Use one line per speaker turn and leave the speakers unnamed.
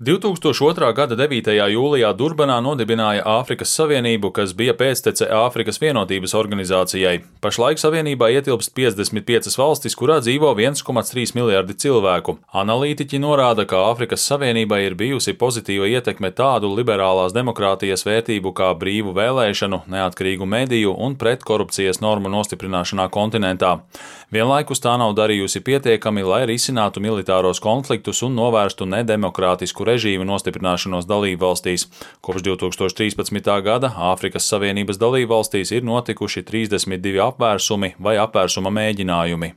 2002. gada 9. jūlijā Durbanā nodibināja Āfrikas Savienību, kas bija pēctece Āfrikas Vienotības organizācijai. Pašlaik savienībā ietilpst 55 valstis, kurā dzīvo 1,3 miljardi cilvēku. Analītiķi norāda, ka Āfrikas Savienībai ir bijusi pozitīva ietekme tādu liberālās demokrātijas vērtību kā brīvu vēlēšanu, neatkarīgu mediju un pretkorupcijas normu nostiprināšanā kontinentā. Vienlaikus tā nav darījusi pietiekami, lai risinātu militāros konfliktus un novērstu nedemokrātisku režīmu nostiprināšanos dalībvalstīs. Kopš 2013. gada Āfrikas Savienības dalībvalstīs ir notikuši 32 apvērsumi vai apvērsuma mēģinājumi.